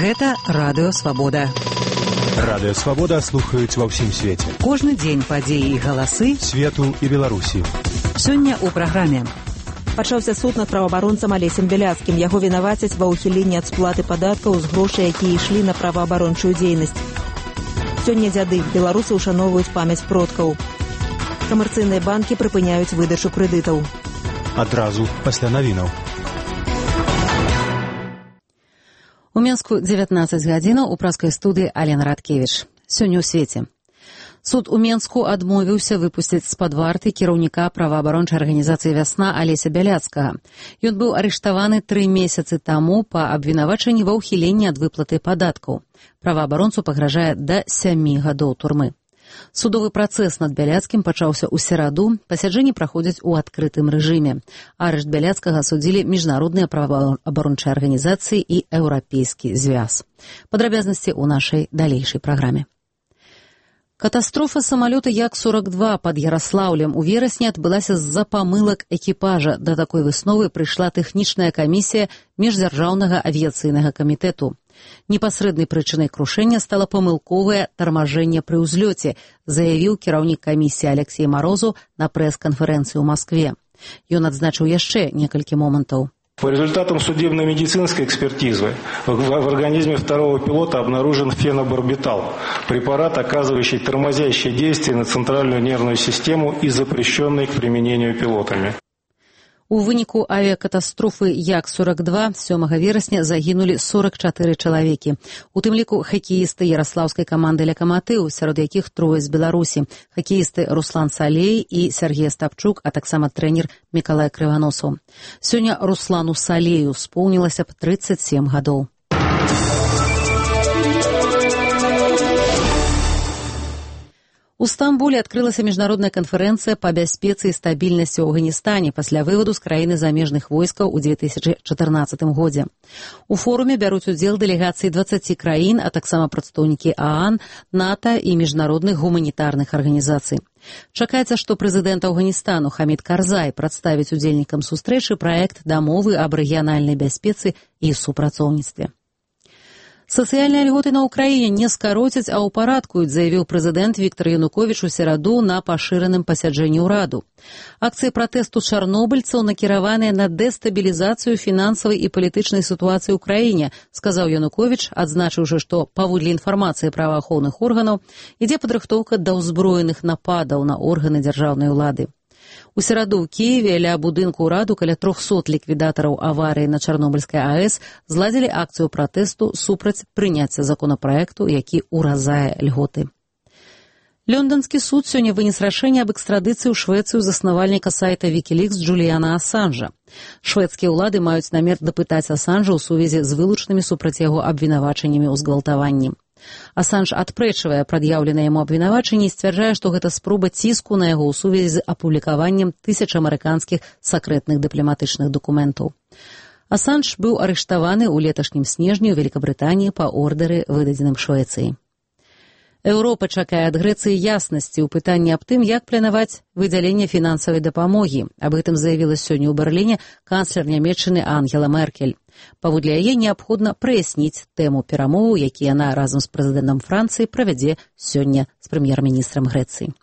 Гэта Радыё Свабода. Радыё Свабода слухаюць ва ўсім свеце. Кожны дзень падзеі і галасы свету і Беларусі. Сёння ў праграме. Пачаўся суд над праваабаронцам Алесем Бяляцкім. Яго вінавацяць ва ўхіленні ад сплаты падаткаў з грошай, якія ішлі на праваабарончую дзейнасць. Сёння дзяды. Беларусы ўшаноўваюць памяць продкаў. Камерцыйныя банкі прыпыняюць выдачу крэдытаў. Адразу пасля навінаў. У Менску 19 гадзінаў у праскай студыі Алена Радкевіч. Сёння ў свеце. Суд у Менску адмовіўся выпусціць з-пад варты кіраўніка праваабарончай арганізацыі «Вясна» Алеся Бяляцкага. Ён быў арыштаваны 3 месяцы таму па абвінавачанні ва ўхіленні ад выплаты падаткаў. Праваабаронцу пагражае да 7 гадоў турмы. Судовы працэс над Бяляцкім пачаўся ў сераду, пасяджэнні праходзяць у адкрытым рэжыме. Арышт Бяляцкага судзілі міжнародныя праваабарончыя арганізацыі і еўрапейскі звяз. Падрабязнасці ў нашай далейшай праграме. Катастрофа самалёта Як-42 пад Яраслаўлем у верасні адбылася з-за памылак экіпажа. Да такой высновы прыйшла тэхнічная камісія міждзяржаўнага авіяцыйнага камітэту. Непасрэднай прычынай крушэння стала памылковае тармажэнне пры ўзлёце, заявіў кіраўнік камісіі Алексей Морозу на прэс-канферэнцыі ў Маскве. Ён адзначыў яшчэ некалькі момантаў. По результатам судебно-медицинской экспертизы в организме второго пилота обнаружен фенобарбитал, препарат, оказывающий тормозящее действие на центральную нервную систему и запрещенный к применению пилотами. У выніку авіякатастрофы Як-42 7 верасня загінулі 44 чалавекі. У тым ліку хакеісты яраслаўскай каманды «Лакаматыў», сярод якіх 3 з Беларусі, хакеісты Руслан Салей і Сергей Остапчук, а таксама трэнер Мікалай Крываносаў. Сёння Руслану Салею споўнілася б 37 гадоў. У Стамбуле адкрылася міжнародная канферэнцыя па бяспецы і стабільнасці ў Афганістане пасля вываду з краіны замежных войскаў у 2014 годзе. У форуме бяруць удзел дэлегацыі 20 краін, а таксама прадстаўнікі ААН, НАТО і міжнародных гуманітарных арганізацый. Чакаецца, што прэзідэнт Афганістану Хамід Карзай прадставіць удзельнікам сустрэчы праект дамовы аб рэгіянальнай бяспецы і супрацоўніцтве. Сацыяльныя льготы на Ўкраіне не скароцяць, а ўпарадкуюць, заявіў прэзідэнт Віктор Януковіч у сераду на пашыраным пасяджэнні ўраду. Акцыі пратэсту чарнобыльцаў накіраваныя на дэстабілізацыю фінансавай і палітычнай сітуацыі ў краіне, сказаў Януковіч, адзначыўшы, што паводле інфармацыі праваахоўных органаў ідзе падрыхтоўка да ўзброеных нападаў на органы дзяржаўнай улады. У сераду ў Кіеве ля будынку ўраду каля 300 ліквідатараў аварыі на Чарнобыльскай АЭС зладзілі акцыю пратэсту супраць прыняцця законапраекту, які ўразае льготы. Лонданскі суд сёння вынес рашэнне аб экстрадыцыі ў Швецыю заснавальніка сайта Wikileaks Джуліяна Асанжа. Шведскія ўлады маюць намер дапытаць Асанжа ў сувязі з вылучнымі супраць яго абвінавачаннямі ў згвалтаванні. Асанж адпрэчвае прад'яўленыя яму абвінавачанні і сцвярджае, што гэта спроба ціску на яго ў сувязі з апублікаваннем 1000 амерыканскіх сакрэтных дыпламатычных дакументаў. Асанж быў арыштаваны ў леташнім снежні ў Великабрытаніі па ордары, выдадзеным Швецыі. Еўропа чакае ад Грэцыі яснасці ў пытанні аб тым, як планаваць выдзяленне фінансавай дапамогі. Аб гэтым заявіла сёння ў Берліне канцлер Нямецчыны Ангела Меркель. Паводле яе неабходна праясніць тэму перамоваў, які яна разам з прэзідэнтам Францыі правядзе сёння з прэм'ер-міністрам Грэцыі.